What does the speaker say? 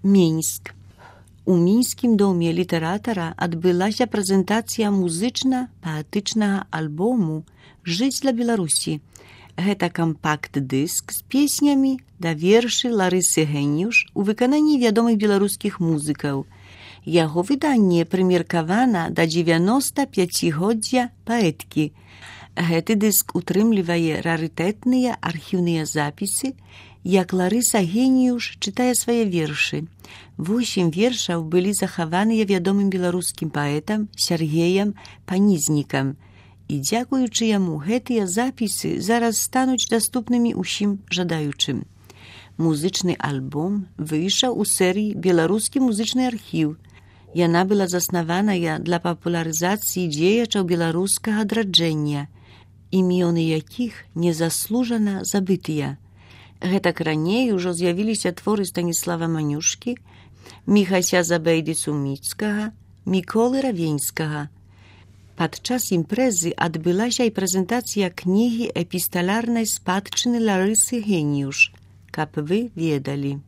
Мінск. У мінскім доме літаратара адбылася прэзентацыя музычна-паэтычнага альбому «Жыць для Беларусі». Гэта кампакт-дыск з песнямі да вершы Ларысы Геніюш у выкананні вядомых беларускіх музыкаў. Яго выданне прымеркавана да 95-годдзя паэткі. Гэты дыск утрымлівае рарытэтныя архіўныя запісы, як Ларыса Геніюш чытае свае вершы. 8 вершаў былі захаваныя вядомым беларускім паэтам Сергеем Панізнікам. І дзякуючы яму гэтыя запісы зараз стануць даступнымі ўсім жадаючым. Музычны альбом выйшаў у серыі «Беларускі музычны архіў». Яна была заснаваная для папулярызацыі дзеячаў беларускага адраджэння, імёны якіх незаслужана забытыя. Гэтак раней ужо з'явіліся творы Станіслава Манюшкі, Міхася Забейды-Суміцкага, Міколы Равенскага. Падчас імпрэзы адбылася і прэзентацыя кнігі эпісталярнай спадчыны Ларысы Геніюш, каб вы ведалі.